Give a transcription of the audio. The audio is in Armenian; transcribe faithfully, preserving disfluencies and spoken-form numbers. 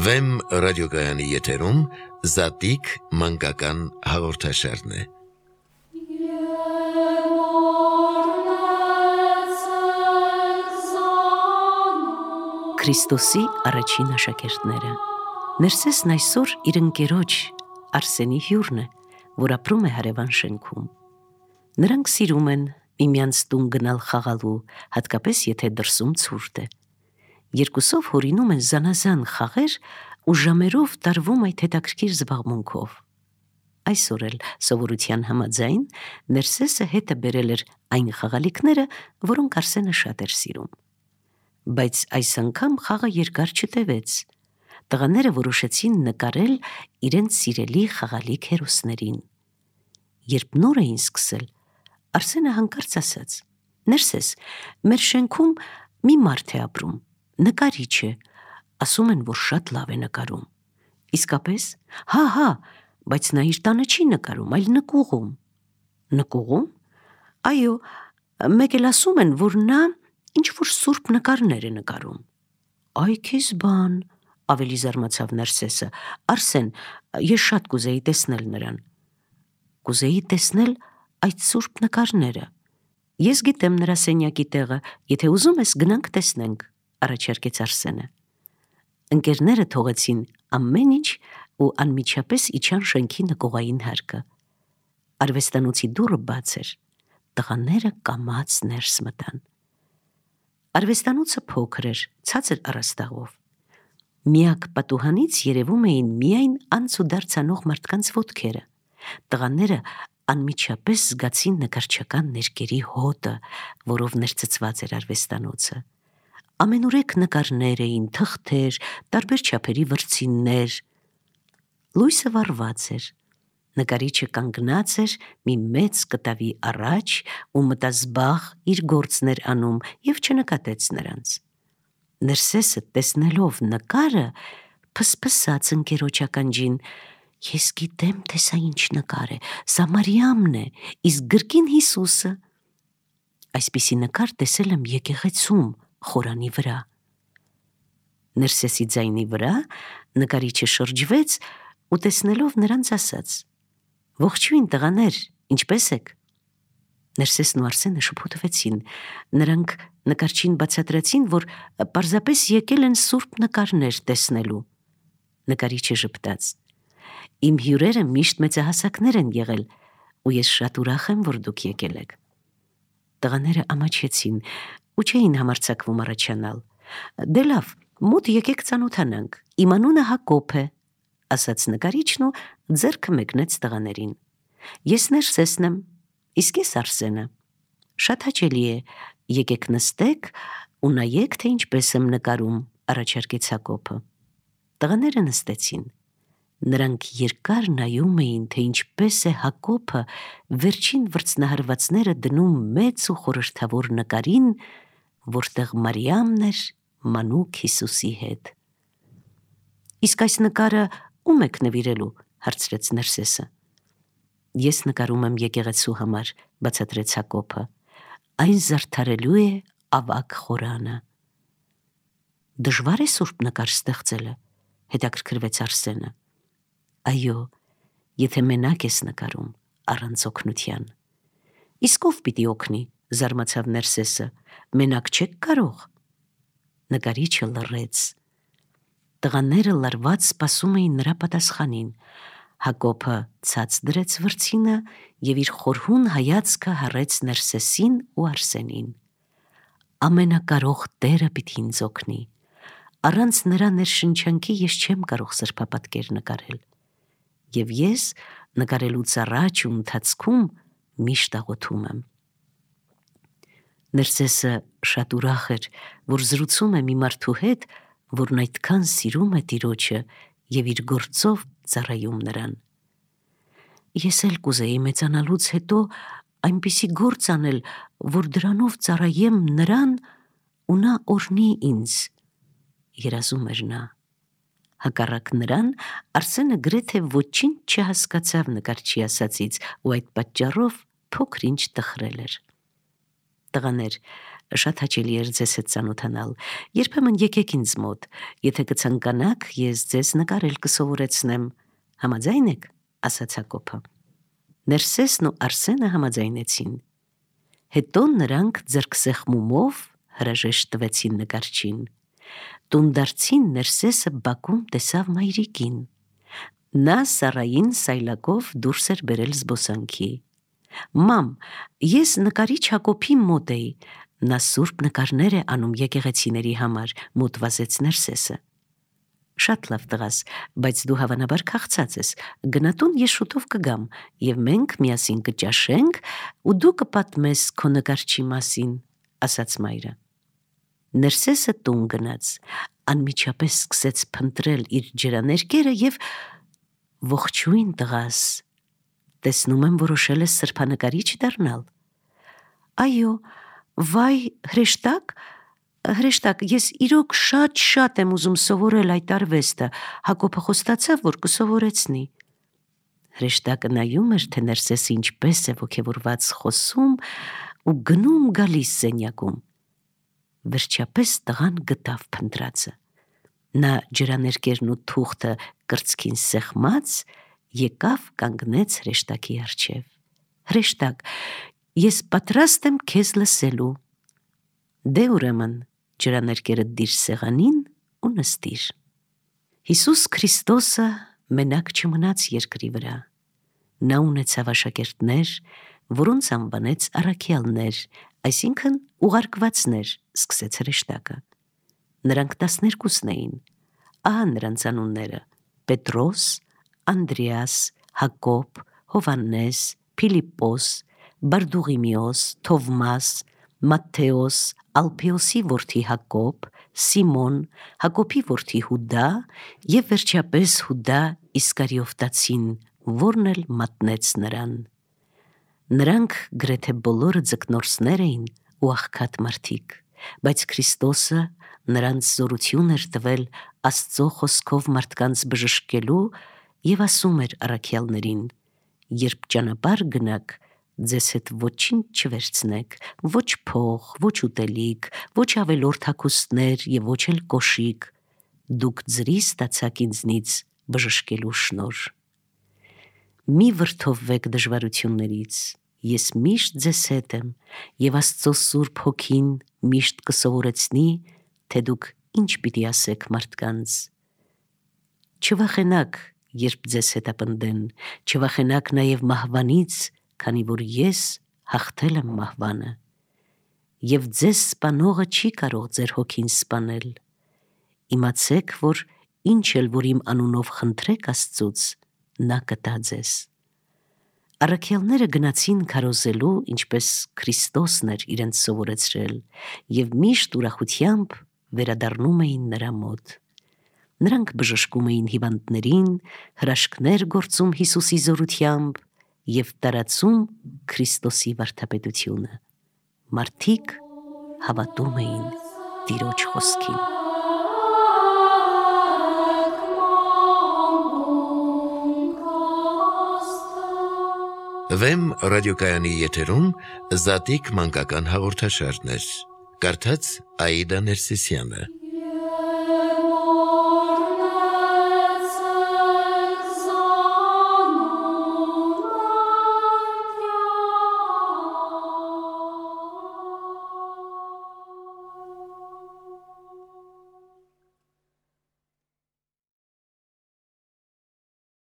Վեմ ռադիոգայանի եթերում Զատիկ մանկական հաղորդաշարն է։ Քրիստոսի առաջին աշակերտները։ Ներսեսն այսօր իր ընկերոջ Արսենի հյուրն է, որ ապրում է հարևան շենքում։ Նրանք սիրում են միմյանց տուն գնալ խաղալու, հատկապես եթե դրսում ցուրտ է։ Երկուսով հորինում են զանազան խաղեր ու ժամերով տարվում այդ հետաքրքիր զբաղմունքով։ Այսօր էլ սովորության համաձայն Ներսեսը հետը բերել էր այն խաղալիքները, որոնք Արսենը շատ էր սիրում։ Բայց այս անգամ խաղը երկար չտևեց։ Տղաները որոշեցին նկարել իրենց սիրելի խաղալիք հերոսներին։ Երբ նոր էին սկսել, Արսենը հանկարծ ասաց. «Ներսես, մեր շենքում մի մարդ է ապրում, նկարիչ է, ասում են, որ շատ լավ է նկարում»։ Իսկապես, հա, հա, բայց նա իր տանը չի նկարում, այլ նկուղում։ Նկուղում։ Այո, մեկ էլ ասում են, որ նա ինչ-որ սուրբ նկարներ է նկարում։ Այ քեզ բան, ավելի զարմացավ Ներսեսը։ Արսեն, ես շատ կուզեի տեսնել նրան։ Կուզեի տեսնել այդ սուրբ նկարները։ Ես գիտեմ նրա սենյակի տեղը, եթե ուզում ես գնանք տեսնենք, առաջարկեց Արսենը։ Ընկերները թողեցին ամեն ինչ ու անմիջապես իջան շենքի նկուղային հարկը։ Արվեստանոցի դուռը բաց էր։ Տղաները կամաց ներս մտան։ Արվեստանոցը փոքր էր, ցածր առաստաղով։ Միակ պատուհանից երևում էին միայն անցուդարձ անող մարդկանց ոտքերը։ Տղաները անմիջապես զգացին նկարչական ներկերի հոտը, որով ներծծված էր արվեստանոցը։ Ամենուրեք նկարներ էին, թղթեր, տարբեր չափերի վրձիններ։ Լույսը վառված էր։ Նկարիչը կանգնած էր մի մեծ կտավի առաջ ու մտազբաղ իր գործն էր անում և չնկատեց նրանց։ Ներսեսը տեսնելով նկարը փսփսաց ընկերոջ ականջին. «Ես գիտեմ, թե սա ինչ նկար է, սա Մարիամն է, իսկ գրկին Հիսուսը։ Այսպիսի նկար տեսել եմ եկեղեցում, խորանի վրա»։ Ներսեսի ձայնի վրա նկարիչը շրջվեց ու տեսնելով նրանց ասաց. «Ողջույն տղաներ, ինչպե՞ս եք»։ Ներսեսն ու Արսենը շփոթվեցին։ Նրանք նկարչին բացատրեցին, որ պարզապես եկել են սուրբ նկարներ տեսնելու։ Նկարիչը ժպտաց. «Իմ հյուրերը միշտ մեծահասակներ են եղել, ու ես շատ ուրախ եմ, որ դուք եկել եք»։ Տղաները ամաչեցին ու չէին համարձակվում առաջանալ։ «Դե լավ, մոտ եկեք ծանոթանանք, իմ անունը Հակոբ է», ասաց նկարիչն ու ձեռքը մեկնեց տղաներին։ «Ես Ներսեսն եմ, իսկ ես Արսենը։ Շատ հաճելի է, եկեք նստեք ու նայեք, թե ինչպես եմ նկարում», առաջարկեց Հակոբը։ Տղաները նստեցին։ Նրանք երկար նայում էին, թե ինչպես է Հակոբը վերջին վրձնահարվածները դնում մեծ ու խորհրդավոր նկարին, որտեղ Մարիամն էր մանուկ Հիսուսի հետ։ «Իսկ այս նկարը ո՞ւմ եք նվիրելու», հարցրեց Ներսեսը։ «Ես նկարում եմ եկեղեցու համար», բացատրեց Հակոբը։ «Այն զարդարելու է ավագ խորանը»։ «Դժվար է սուրբ նկար ստեղծելը», հետաքրքրվեց Արսենը։ «Այո, եթե մենակ ես նկարում, առանց օգնության»։ «Իսկ ով պիտի օգնի», զարմացավ Ներսեսը։ «Մենակ չեք կարող»։ Նկարիչը լռեց։ Տղաները լարված սպասում էին նրա պատասխանին։ Հակոբը ցած դրեց վրձինը և իր խորհուն հայացքը հառեց Ներսեսին ու Արսենին։ «Ամենակարող Տերը պիտի ինձ օգնի։ Առանց նրա ներշնչանքի ես չեմ կարող սրբապատկեր նկարել։ Եվ ես նկարելուց առաջ ու ընթացքում միշտ աղոթում եմ»։ Ներսեսը շատ ուրախ էր, որ զրուցում է մի մարդու հետ, որն այդքան սիրում է Տիրոջը և իր գործով ծառայում նրան։ «Ես էլ կուզեի մեծանալուց հետո այնպիսի գործ անել, որ դրանով ծառայեմ նրան ու նա օրհնի ինձ», երազում էր նա։ Հակառակ նրան, Արսենը գրեթե ոչինչ չհասկացավ նկարչի ասածից ու այդ պատճառով փոքր-ինչ տխրել էր։ «Տղաներ, Շատ հաճելի էր ձեզ հետ ծանոթանալ։ Երբեմն եկեք ինձ մոտ, եթե կցանկանաք, ես ձեզ նկարել կսովորեցնեմ։ Համաձայն եք, ասաց Հակոբը։ Ներսեսն ու Արսենը համաձայնեցին։ Հետո նրանք ձեռքսեղմումով հրաժեշտ տվեցին նկարչին։ Տուն դարձին Ներսեսը բակում տեսավ մայրիկին։ Նա Սարային սայլակով դուրս էր բերել զբոսանքի։ Մամ, ես նկարիչ Հակոբի մոտ էի, նա սուրբ նկարներ է անում եկեղեցիների համար, մոտ վազեց Ներսեսը։ Շատ լավ տղաս, բայց դու հավանաբար քաղցած ես, գնա տուն, ես շուտով կգամ, և մենք միասին կճաշենք, ու դու կպատմես քո նկարչի մասին, ասաց մայրը։ Ներսեսը տուն գնաց, անմիջապես սկսեց փնտրել իր ջրաներկերը և ողջույն տղաս, տեսնում եմ որոշել ես սրբանկարիչ դառնալ։ Այո, վայ, հրեշտակ, հրեշտակ, ես իրոք շատ-շատ եմ ուզում սովորել այդ արվեստը, Հակոբը խոստացավ, որ կսովորեցնի։ Հրեշտակը նայում էր, թե Ներսեսը ինչպես է ոգևորված խոսում ու գնում գալիս սենյակում։ Վերջապես տղան գտավ փնտրածը։ Նա ջրաներկերն ու թուղթը կրծքին սեղմած եկավ կանգնեց հրեշտակի առջև։ Հրեշտակ, ես պատրաստ եմ քեզ լսելու։ Դե ուրեմն ջրաներկերը դիր սեղանին ու նստիր։ Հիսուս Քրիստոսը մենակ չմնաց երկրի վրա։ Նա ունեցավ աշակերտներ, որոնց անվանեց առաքյալներ, այսինքն ուղարկվածներ, սկսեց հրեշտակը։ Նրանք տասներկուսն էին։ Ահա նրանց անունները՝ Պետրոս, Անդրեաս, Հակոբ, Հովհաննես, Փիլիպպոս, Բարդուղիմեոս, Թովմաս, Մատթեոս, Ալփեոսի որդի Հակոբ, Սիմոն, Հակոբի որդի Հուդա և վերջապես Հուդա Իսկարիովտացին, որն էլ մատնեց նրան։ Նրանք գրեթե բոլորը ձկնորսներ էին ու աղքատ մարդիկ, բայց Քրիստոսը նրանց զորություն էր տվել Աստծո խոսքով մարդկանց բժշկելու և ասում էր առաքյալներին. երբ ճանապարհ գնաք, ձեզ հետ ոչինչ չվերցնեք, ոչ փող, ոչ ուտելիք, ոչ ավելորդ հագուստներ և ոչ էլ կոշիկ, դուք ձրի ստացաք ինձնից բժշկելու շնորհ։ Մի վրդովվեք դժվարություններից, ես միշտ ձեզ հետ եմ, և Աստծո Սուրբ Հոգին միշտ կսովորեցնի, թե դուք ինչ պիտի ասեք մարդկանց։ Չվախենաք, երբ ձեզ հետապնդեն, չվախենաք նաև մահվանից, քանի որ ես հաղթել եմ մահվանը։ Եվ ձեզ սպանողը չի կարող ձեր հոգին սպանել։ Իմացեք, որ ինչ էլ որ իմ անունով խնդրեք Աստծուց, նա կտա ձեզ։ Առաքյալները գնացին քարոզելու, ինչպես Քրիստոսն էր իրենց սովորեցրել, և միշտ ուրախությամբ վերադառնում էին նրա մոտ։ Նրանք բժշկում էին հիվանդներին, հրաշքներ գործում Հիսուսի զորությամբ և տարածում Քրիստոսի վարդապետությունը։ Մարդիկ հավատում էին Տիրոջ խոսքին։ Վեմ ռադիոկայանի եթերում Զատիկ մանկական հաղորդաշարներ։ Կարդաց Աիդա Ներսիսյանը։